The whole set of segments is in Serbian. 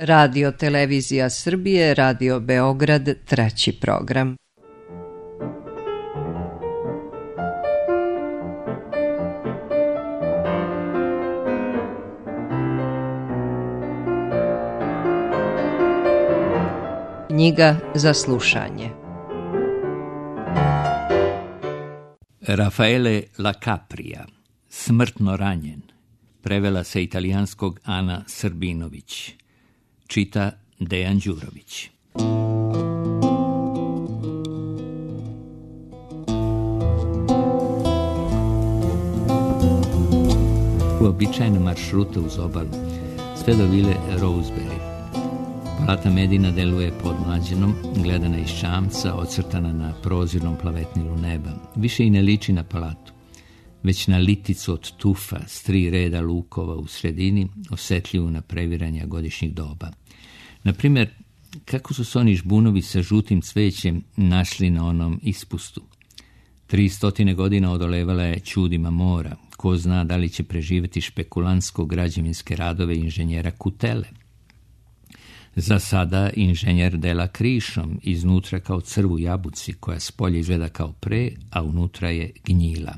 Radio Televizija Srbije, Radio Beograd, 3. program. Knjiga za slušanje. Raffaele La Capria, Smrtno ranjen, prevela sa italijanskog Ana Srbinović, čita Dejan Đurović. Uobičajena maršruta uz obalu, sve do vile Rosebery. Palata Medina deluje podmlađenom, gledana iz čamca, ocrtana na prozirnom plavetnilu neba. Više i ne liči na palatu, već na liticu od tufa s 3 reda lukova u sredini, osetljivu na previranja godišnjih doba. Naprimjer, kako su se oni žbunovi sa žutim cvećem našli na onom ispustu? 300 godina odolevala je čudima mora. Ko zna da li će preživjeti špekulantsko-građevinske radove inženjera Kutele. Za sada inženjer dela krišom, iznutra kao crvu jabuci, koja spolje izgleda kao pre, a unutra je gnjila.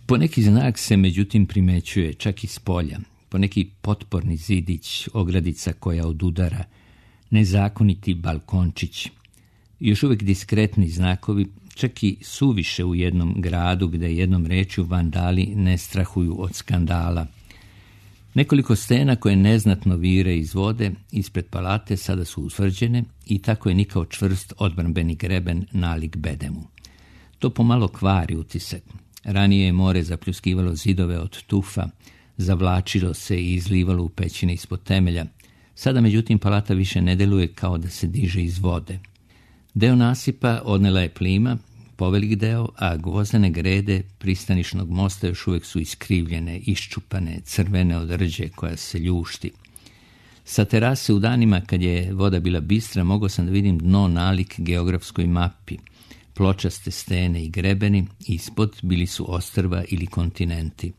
Poneki znak se međutim primećuje, čak i s polja. Poneki potporni zidić, ogradica koja odudara, nezakoniti balkončić. Još uvijek diskretni znakovi, čak i suviše u jednom gradu gdje jednom rečju vandali ne strahuju od skandala. Nekoliko stena koje neznatno vire iz vode ispred palate sada su utvrđene i tako je nikao čvrst odbrambeni greben nalik bedemu. To pomalo kvari utisak. Ranije je more zapljuskivalo zidove od tufa, zavlačilo se i izlivalo u pećine ispod temelja. Sada međutim palata više ne deluje kao da se diže iz vode. Deo nasipa odnela je plima, povelik deo, a gvozdene grede pristanišnog mosta još uvijek su iskrivljene, iščupane, crvene od rđe koja se ljušti. Sa terase u danima kad je voda bila bistra mogao sam da vidim dno nalik geografskoj mapi. Pločaste stene i grebeni, ispod bili su ostrva ili kontinenti.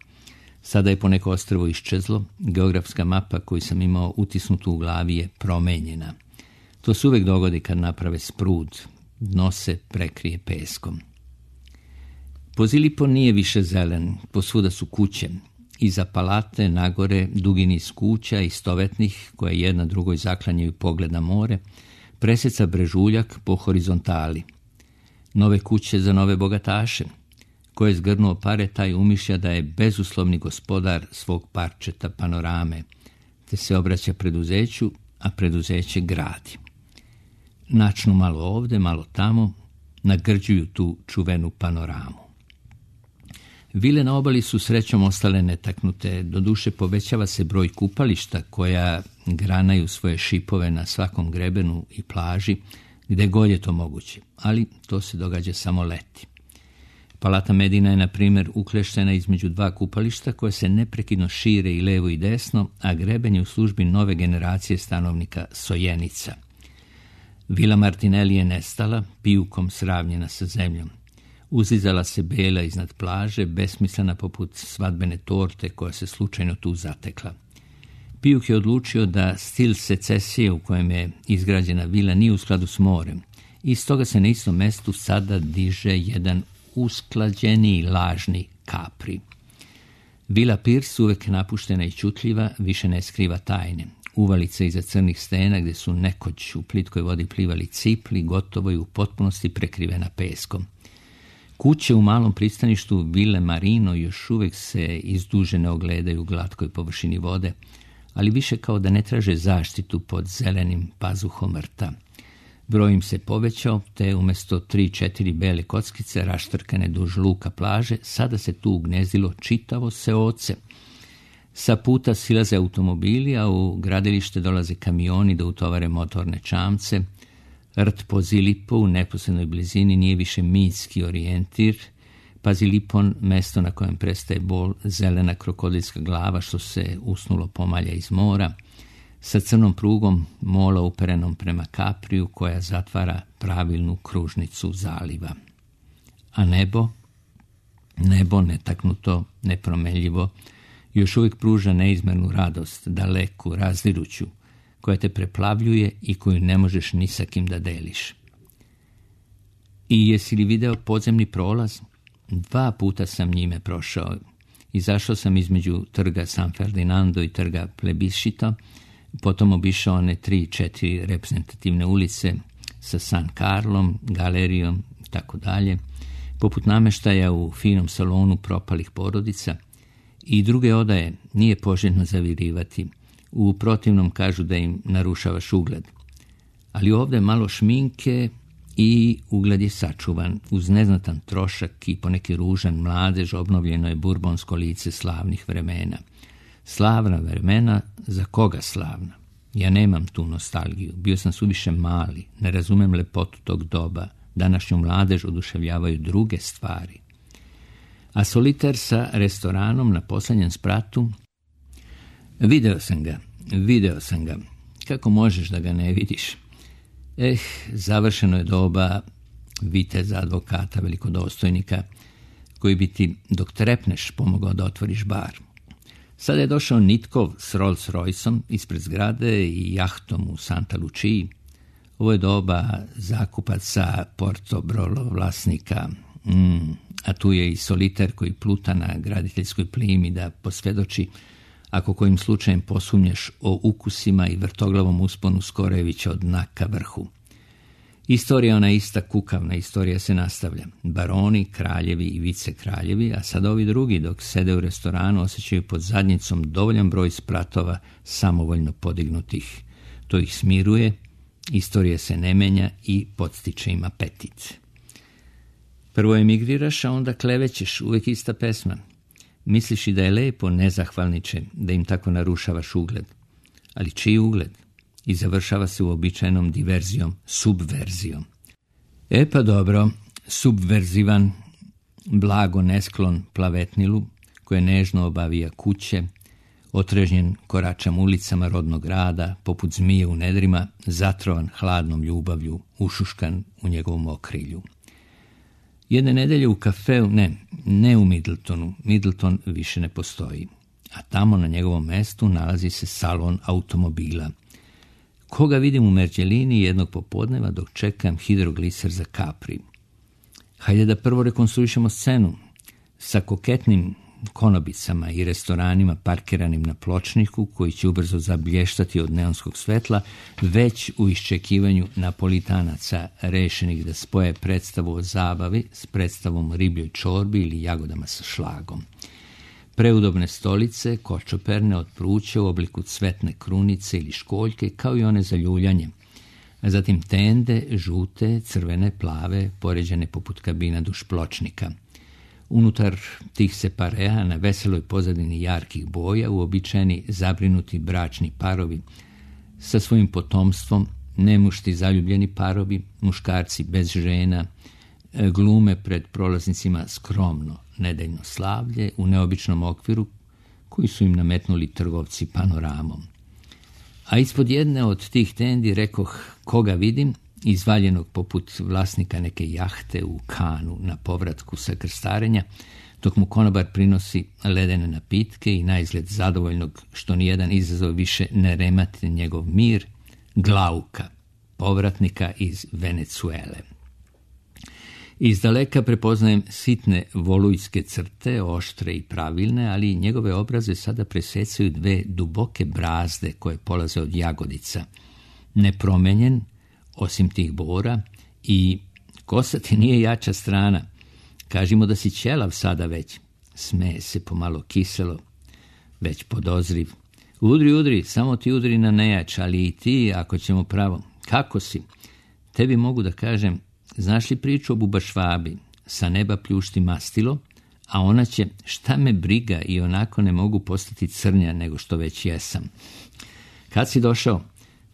Sada je poneko ostrvo iščezlo, geografska mapa koju sam imao utisnutu u glavi je promenjena. To se uvijek dogodi kad naprave sprud, dno se prekrije peskom. Pozilipo nije više zelen, posvuda su kuće. Iza palate, nagore, dugi niz kuća istovetnih, koje jedna drugoj zaklanjaju pogled na more, preseca brežuljak po horizontali. Nove kuće za nove bogataše. Ko je zgrnuo pare, taj umišlja da je bezuslovni gospodar svog parčeta panorame, te se obraća preduzeću, a preduzeće gradi. Načnu malo ovde, malo tamo, nagrđuju tu čuvenu panoramu. Vile na obali su srećom ostale netaknute, doduše povećava se broj kupališta koja granaju svoje šipove na svakom grebenu i plaži, gde god je to moguće, ali to se događa samo leti. Palata Medina je, na primjer, ukleštena između 2 kupališta koje se neprekidno šire i levo i desno, a greben je u službi nove generacije stanovnika Sojenica. Vila Martinelli je nestala, pijukom sravnjena sa zemljom. Uzizala se bela iznad plaže, besmislena poput svadbene torte koja se slučajno tu zatekla. Pijuk je odlučio da stil secesije u kojem je izgrađena vila nije u skladu s morem i stoga se na istom mestu sada diže jedan usklađeni lažni Capri. Vila Pierce, uvek napuštena i ćutljiva, više ne skriva tajne. Uvalice iza crnih stena gdje su nekoć u plitkoj vodi plivali cipli, gotovo i u potpunosti prekrivena peskom. Kuće u malom pristaništu Ville Marino još uvijek se izdužene ogledaju u glatkoj površini vode, ali više kao da ne traže zaštitu pod zelenim pazuhom rta. Broj im se povećao, te umjesto 3-4 bele kockice raštrkane duž luka plaže, sada se tu ugnezdilo čitavo seoce. Sa puta silaze automobili, a u gradilište dolaze kamioni da utovare motorne čamce. Rt Pozilipo u neposrednoj blizini nije više mitski orijentir. Pazilipon, mesto na kojem prestaje bol, zelena krokodilska glava što se usnulo pomalja iz mora, sa crnom prugom mola uperenom prema Capriju koja zatvara pravilnu kružnicu zaliva. A nebo netaknuto, nepromenljivo, još uvijek pruža neizmernu radost, daleku, razdiruću, koja te preplavljuje i koju ne možeš ni sa kim da deliš. I jesi li video podzemni prolaz? 2 puta sam njime prošao. Izašao sam između trga San Ferdinando i trga Plebiscito, potom obišao one 3-4 reprezentativne ulice sa San Carlom, galerijom i tako dalje, poput nameštaja u finom salonu propalih porodica i druge odaje nije poželjno zavirivati. U protivnom kažu da im narušavaš ugled. Ali ovdje malo šminke i ugled je sačuvan. Uz neznatan trošak i poneki ružan mladež obnovljeno je burbonsko lice slavnih vremena. Slavna vremena, za koga slavna? Ja nemam tu nostalgiju. Bio sam suviše mali, ne razumem lepotu tog doba. Današnju mladež oduševljavaju druge stvari. A Soliter sa restoranom na posljednjem spratu? Video sam ga. Kako možeš da ga ne vidiš? Završeno je doba viteza, advokata, velikodostojnika, koji bi ti, dok trepneš, pomogao da otvoriš bar. Sada je došao Nitkov s Rolls Royceom ispred zgrade i jahtom u Santa Luciji. Ovo je doba zakupaca, Portobrolo vlasnika, a tu je i Soliter koji pluta na graditeljskoj plimi da posvjedoči ako kojim slučajem posumnješ o ukusima i vrtoglavom usponu Skorevića od dna ka vrhu. Istorija ona ista kukavna, istorija se nastavlja. Baroni, kraljevi i vicekraljevi, a sad ovi drugi dok sede u restoranu osjećaju pod zadnjicom dovoljan broj spratova samovoljno podignutih. To ih smiruje, istorija se ne menja i podstiče im apetit. Prvo emigriraš, a onda klevećeš, uvijek ista pesma. Misliš i da je lepo, nezahvalniče, da im tako narušavaš ugled. Ali čiji ugled? I završava se uobičajenom diverzijom, subverzijom. Pa dobro, subverzivan, blago nesklon plavetnilu, koje nežno obavija kuće, otrežnjen koračam ulicama rodnog grada, poput zmije u nedrima, zatrovan hladnom ljubavlju, ušuškan u njegovom okrilju. Jedne nedelje u kafeu, ne u Middletonu, Middleton više ne postoji, a tamo na njegovom mestu nalazi se salon automobila. Koga vidim u Merđelini jednog popodneva dok čekam hidrogliser za Capri. Hajde da prvo rekonstruišemo scenu sa koketnim konobicama i restoranima parkiranim na pločniku koji će ubrzo zablještati od neonskog svetla, već u iščekivanju Napolitanaca rešenih da spoje predstavu o zabavi s predstavom ribljoj čorbi ili jagodama sa šlagom. Preudobne stolice, kočoperne od pruća u obliku cvetne krunice ili školjke, kao i one za ljuljanje. A zatim tende, žute, crvene, plave, poređane poput kabina duž pločnika. Unutar tih separea na veseloj pozadini jarkih boja uobičajeni zabrinuti bračni parovi sa svojim potomstvom, nemušti zaljubljeni parovi, muškarci bez žena, glume pred prolaznicima skromno nedeljno slavlje u neobičnom okviru koji su im nametnuli trgovci panoramom. A ispod jedne od tih tendi rekoh koga vidim, izvaljenog poput vlasnika neke jahte u Kanu na povratku sa krstarenja, dok mu konobar prinosi ledene napitke i naizgled zadovoljnog što nijedan izazov više ne remati njegov mir, Glauka, povratnika iz Venecuele. Iz daleka prepoznajem sitne volujske crte, oštre i pravilne, ali njegove obraze sada presecaju 2 duboke brazde koje polaze od jagodica. Nepromenjen, osim tih bora, i kosa ti nije jača strana. Kažimo da si ćelav sada već. Smeje se pomalo kiselo, već podozriv. Udri, samo ti udri na nejač, ali i ti, ako ćemo pravo. Kako si? Tebi mogu da kažem, znaš li priču o bubašvabi? Sa neba pljušti mastilo, a ona će, šta me briga, i onako ne mogu postati crnja nego što već jesam. Kad si došao?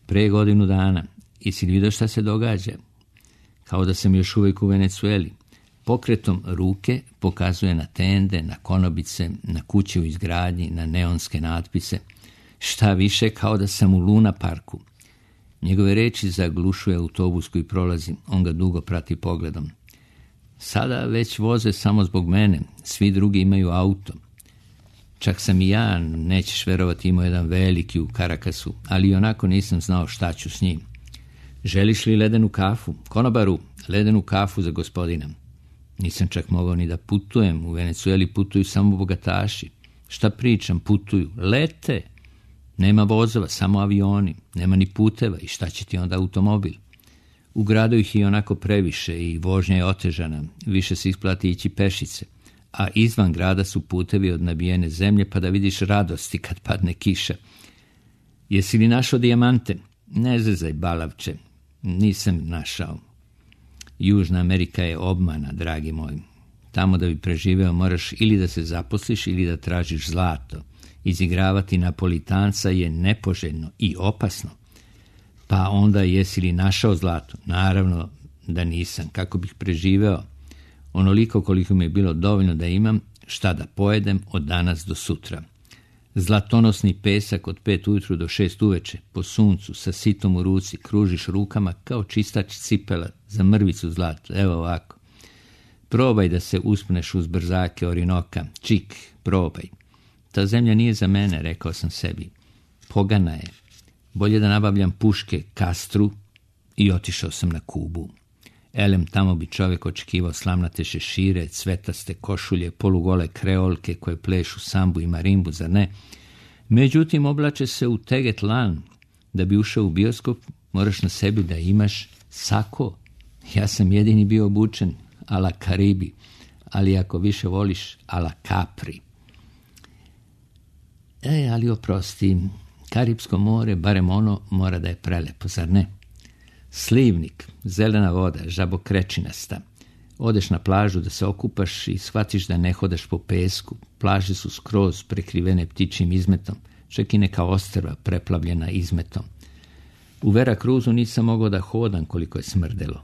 Pre 1 godinu dana. I si vidio šta se događa? Kao da sam još uvijek u Venecueli. Pokretom ruke pokazuje na tende, na konobice, na kuće u izgradnji, na neonske natpise. Šta više, kao da sam u Luna parku. Njegove reči zaglušuje autobus koji prolazi, on ga dugo prati pogledom. Sada već voze samo zbog mene, svi drugi imaju auto. Čak sam i ja, nećeš verovati, imao jedan veliki u Karakasu, ali onako nisam znao šta ću s njim. Želiš li ledenu kafu? Konobaru, ledenu kafu za gospodina. Nisam čak mogao ni da putujem, u Venecueli putuju samo bogataši. Šta pričam, putuju, lete. Nema vozova, samo avioni, nema ni puteva i šta će ti onda automobil? U gradu ih je onako previše i vožnja je otežana, više se isplati ići pešice, a izvan grada su putevi od nabijene zemlje pa da vidiš radosti kad padne kiša. Jesi li našao dijamante? Ne zezaj, balavče, nisam našao. Južna Amerika je obmana, dragi moj. Tamo da bi preživeo moraš ili da se zaposliš ili da tražiš zlato. Izigravati Napolitanca je nepoželjno i opasno. Pa onda jesi li našao zlato? Naravno da nisam. Kako bih preživeo? Onoliko koliko mi je bilo dovoljno da imam šta da pojedem od danas do sutra. Zlatonosni pesak od 5 ujutru do 6 uveče, po suncu, sa sitom u ruci, kružiš rukama kao čistač cipela za mrvicu zlata. Evo ovako. Probaj da se uspneš uz brzake Orinoka. Čik, probaj. Ta zemlja nije za mene, rekao sam sebi. Pogana je. Bolje da nabavljam puške Kastru i otišao sam na Kubu. Elem, tamo bi čovjek očekivao slamnate šešire, cvetaste košulje, polugole kreolke koje plešu sambu i marimbu, zar ne? Međutim, oblače se u teget lan. Da bi ušao u bioskop, moraš na sebi da imaš sako. Ja sam jedini bio obučen a la Karibi, ali ako više voliš a la Capri. Ali oprosti, Karibsko more, barem ono, mora da je prelepo, zar ne? Slivnik, zelena voda, žabokrečinasta. Odeš na plažu da se okupaš i shvatiš da ne hodaš po pesku. Plaže su skroz prekrivene ptičjim izmetom, čak i neka ostrva preplavljena izmetom. U Vera Cruzu nisam mogao da hodam koliko je smrdelo.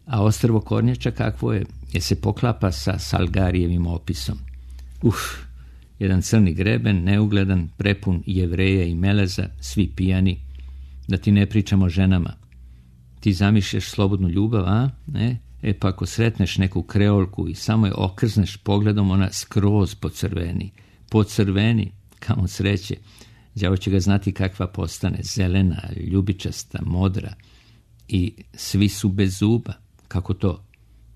A ostrvo Kornjača kakvo je? Je se poklapa sa Salgarijevim opisom. Jedan crni greben, neugledan, prepun Jevreja i meleza, svi pijani. Da ti ne pričamo o ženama. Ti zamišljaš slobodnu ljubav, a? Ne? Pa ako sretneš neku kreolku i samo je okrzneš pogledom, ona skroz pocrveni, kamo sreće. Đavo će ga znati kakva postane, zelena, ljubičasta, modra. I svi su bez zuba. Kako to?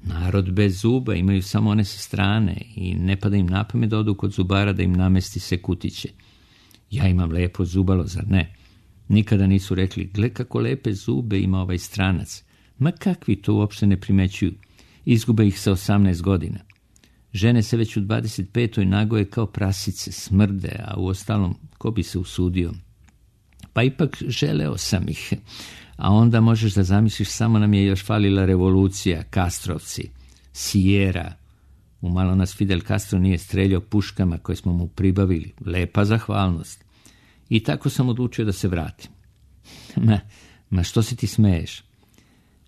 Narod bez zuba, imaju samo one sa strane i ne pada im na pamet da odu kod zubara da im namesti se kutiće. Ja imam lepo zubalo, zar ne? Nikada nisu rekli, gle kako lepe zube ima ovaj stranac. Ma kakvi to uopšte ne primećuju. Izgube ih sa 18 godina. Žene se već u 25. nagoje kao prasice, smrde, a u ostalom ko bi se usudio? Pa ipak želeo sam ih. A onda možeš da zamisliš, samo nam je još falila revolucija, Kastrovci, Sijera. Umalo nas Fidel Castro nije streljao puškama koje smo mu pribavili. Lepa zahvalnost. I tako sam odlučio da se vratim. Ma što se ti smeješ?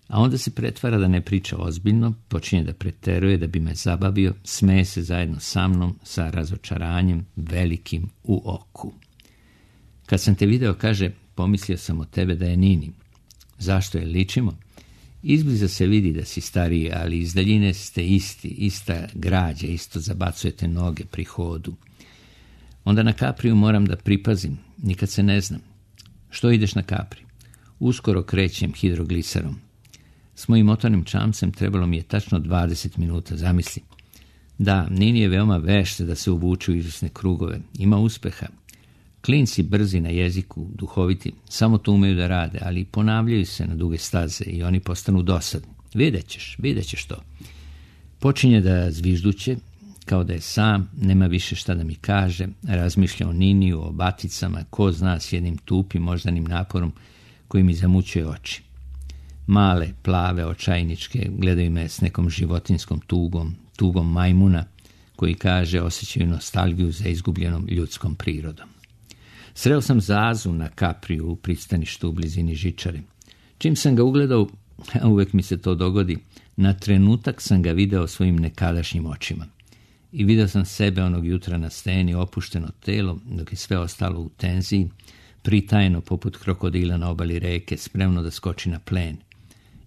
A onda se pretvara da ne priča ozbiljno, počinje da preteruje da bi me zabavio, smeje se zajedno sa mnom, sa razočaranjem velikim u oku. Kad sam te video, kaže, pomislio sam od tebe da je Nini. Zašto je ličimo? Izbliza se vidi da si stariji, ali iz daljine ste isti, ista građa, isto zabacujete noge pri hodu. Onda na Kapriju moram da pripazim, nikad se ne znam. Što ideš na Kapri? Uskoro krećem hidrogliserom. S mojim motornim čamcem trebalo mi je tačno 20 minuta, zamisli. Da, Nini je veoma vešta da se uvuče u izvesne krugove. Ima uspeha. Klinci brzi na jeziku, duhoviti, samo to umeju da rade, ali ponavljaju se na duge staze i oni postanu dosadni. Vidjet ćeš to. Počinje da zvižduće, kao da je sam, nema više šta da mi kaže, razmišlja o Niniju, o baticama, ko zna, s jednim tupim moždanim naporom koji mi zamućuje oči. Male, plave, očajničke gledaju me s nekom životinskom tugom majmuna koji kaže osjećaju nostalgiju za izgubljenom ljudskom prirodom. Sreo sam Zazu na Kapriju u pristaništu u blizini žičare. Čim sam ga ugledao, a uvek mi se to dogodi, na trenutak sam ga video svojim nekadašnjim očima. I video sam sebe onog jutra na steni, opušteno telo, dok je sve ostalo u tenziji, pritajeno poput krokodila na obali reke, spremno da skoči na plen.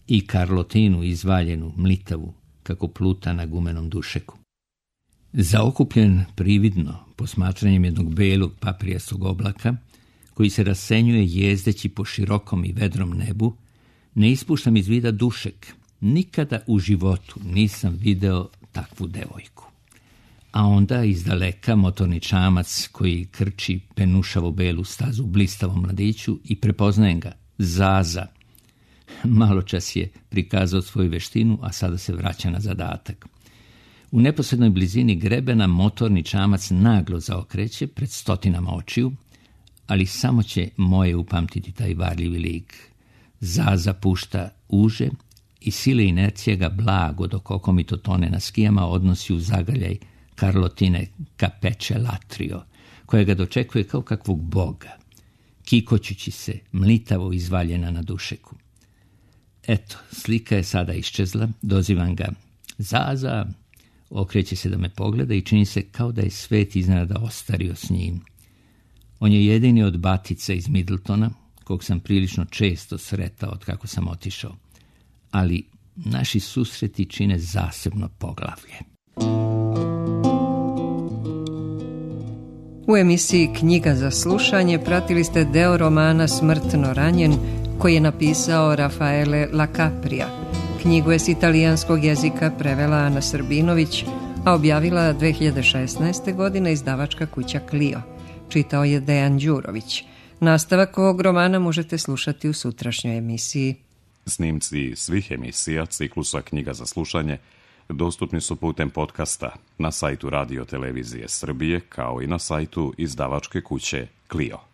I Karlotinu izvaljenu, mlitavu, kako pluta na gumenom dušeku. Zaokupljen prividno posmatranjem jednog belog paprijastog oblaka, koji se rasenjuje jezdeći po širokom i vedrom nebu, ne ispuštam iz vida Dušek. Nikada u životu nisam video takvu devojku. A onda iz daleka motorni čamac koji krči penušavo belu stazu blistavom mladiću i prepoznajem ga, Zaza. Malo čas je prikazao svoju veštinu, a sada se vraća na zadatak. U neposrednoj blizini grebena motorni čamac naglo zaokreće pred stotinama očiju, ali samo će moje upamtiti taj varljivi lik. Zaza pušta uže i sile inercije ga blago dok okomito tone na skijama odnosi u zagrljaj Carlotine Capeče Latrio, koja ga dočekuje kao kakvog boga, kikoćući se mlitavo izvaljena na Dušeku. Eto, slika je sada iščezla, dozivam ga. Zaza! Okreće se da me pogleda i čini se kao da je svet iznenada ostario s njim. On je jedini od batica iz Middletona, kog sam prilično često sretao od kako sam otišao. Ali naši susreti čine zasebno poglavlje. U emisiji Knjiga za slušanje pratili ste deo romana Smrtno ranjen, koji je napisao Rafaele La Capria. Knjigu je s italijanskog jezika prevela Ana Srbinović, a objavila 2016. godine izdavačka kuća Clio. Čitao je Dejan Đurović. Nastavak ovog romana možete slušati u sutrašnjoj emisiji. Snimci svih emisija ciklusa Knjiga za slušanje dostupni su putem podcasta na sajtu Radio Televizije Srbije, kao i na sajtu izdavačke kuće Clio.